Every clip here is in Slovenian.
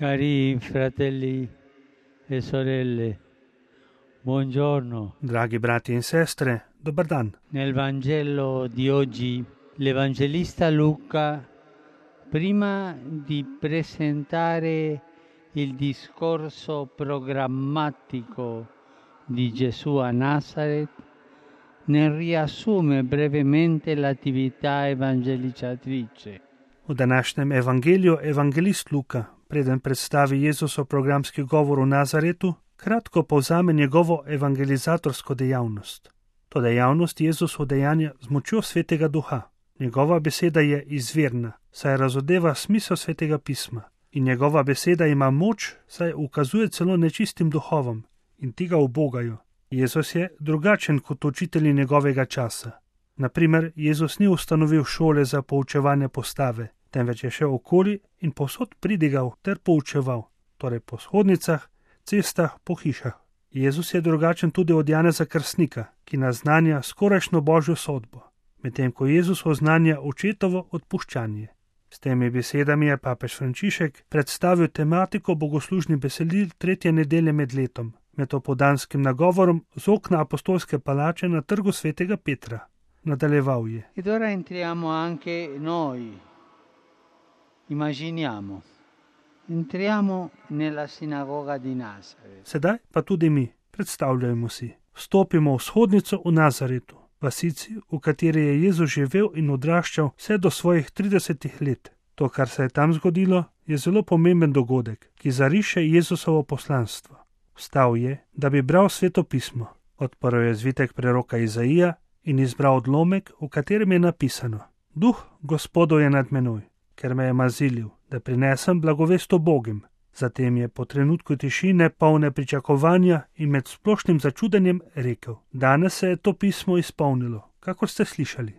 Cari fratelli e sorelle, buongiorno. Dragi brati in sestre, dobar dan. Nel Vangelo di oggi l'Evangelista Luca, prima di presentare il discorso programmatico di Gesù a Nazareth, ne riassume brevemente l'attività evangelizzatrice. V današnjem evangeliju evangelist Luka, preden predstavi Jezusov programski govor v Nazaretu, kratko povzame njegovo evangelizatorsko dejavnost. To dejavnost Jezus udejanja z močjo Svetega Duha. Njegova beseda je izvirna, saj razodeva smisel Svetega pisma. In njegova beseda ima moč, saj ukazuje celo nečistim duhovom in ti ga ubogajo. Jezus je drugačen kot učitelji njegovega časa. Naprimer, Jezus ni ustanovil šole za poučevanje postave, temveč je šel okoli in povsod pridigal ter poučeval, torej po shodnicah, cestah, po hišah. Jezus je drugačen tudi od Janeza Krstnika, ki naznanja skorajšnjo božjo sodbo, medtem ko Jezus oznanja očetovo odpuščanje. S temi besedami je papež Frančišek predstavil tematiko bogoslužnih besedil 3. nedelje med letom, med opoldanskim nagovorom z okna apostolske palače na trgu svetega Petra. Nadaljeval je. Ed ora entriamo anche noi. Immaginiamo. Entriamo nella sinagoga di Nazareth. Sedaj pa tudi mi, predstavljajmo si, vstopimo v shodnico v Nazaretu, vasici, v kateri je Jezus živel in odraščal vse do svojih 30 let. To, kar se je tam zgodilo, je zelo pomemben dogodek, ki zariše Jezusovo poslanstvo. Vstal je, da bi bral Sveto pismo. Odprl je zvitek preroka Izaija in izbral odlomek, v katerem je napisano: Duh Gospodov je nad menoj, ker me je mazilil, da prinesem blagovest ubogim. Zatem je po trenutku tišine, polne pričakovanja in med splošnim začudenjem rekel: Danes se je to pismo izpolnilo, kakor ste slišali.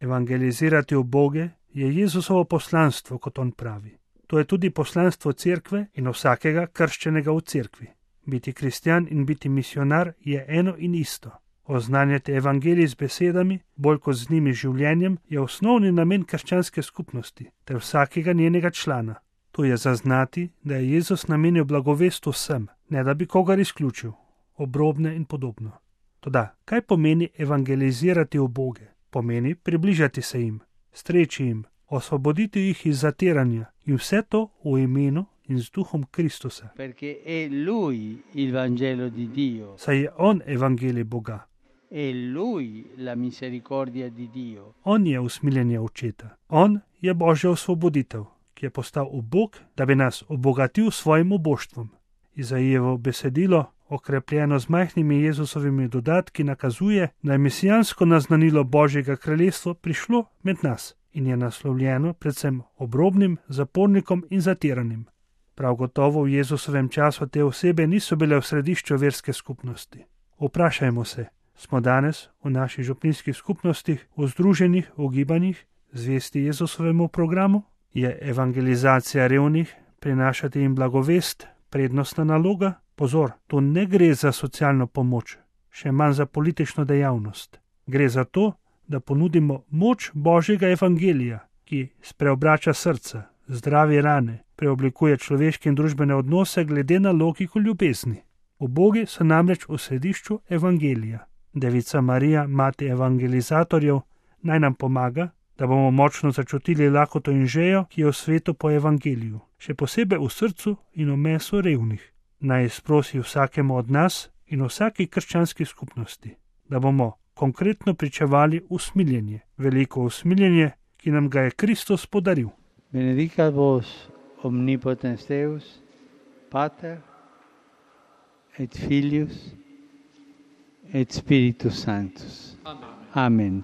Evangelizirati uboge je Jezusovo poslanstvo, kot on pravi. To je tudi poslanstvo cerkve in vsakega krščenega v cerkvi. Biti kristjan in biti misionar je eno in isto. Oznanjati evangelij z besedami, bolj kot z njimi življenjem, je osnovni namen krščanske skupnosti ter vsakega njenega člana. To je zaznati, da je Jezus namenil blagovest vsem, ne da bi kogar izključil, obrobne in podobno. Toda, kaj pomeni evangelizirati uboge? Pomeni približati se jim, streči jim, osvoboditi jih iz zatiranja in vse to v imenu in z duhom Kristusa. Perché è Lui il Vangelo di Dio. Saj je on evangelij Boga. È Lui la misericordia di Dio. On je usmiljenje očeta. On je Božja osvoboditev, ki je postal ubog, da bi nas obogatil s svojim uboštvom. Izaijevo besedilo, okrepljeno z majhnimi Jezusovimi dodatki, nakazuje, da je mesijansko naznanilo Božjega kraljestva prišlo med nas in je naslovljeno predvsem obrobnim, zapornikom in zatiranim. Prav gotovo v Jezusovem času te osebe niso bile v središču verske skupnosti. Vprašajmo se, smo danes v naših župnijskih skupnostih, v združenih, v gibanjih, zvesti Jezusovemu programu? Je evangelizacija revnih, prinašati jim blagovest, prednostna naloga? Pozor, to ne gre za socialno pomoč, še manj za politično dejavnost. Gre za to, da ponudimo moč Božjega evangelija, ki spreobrača srca, zdravi rane, preoblikuje človeške in družbene odnose glede na logiko ljubezni. Ubogi so namreč v središču evangelija. Devica Marija, mati evangelizatorjev, naj nam pomaga, da bomo močno začutili lakoto in žejo, ki je v svetu po evangeliju, še posebej v srcu in v mesu revnih. Naj izprosi vsakemu od nas in vsaki krščanski skupnosti, da bomo konkretno pričevali usmiljenje, veliko usmiljenje, ki nam ga je Kristus podaril. Benedicat vos omnipotens Deus, Pater et Filius et Spiritus Sanctus. Amen.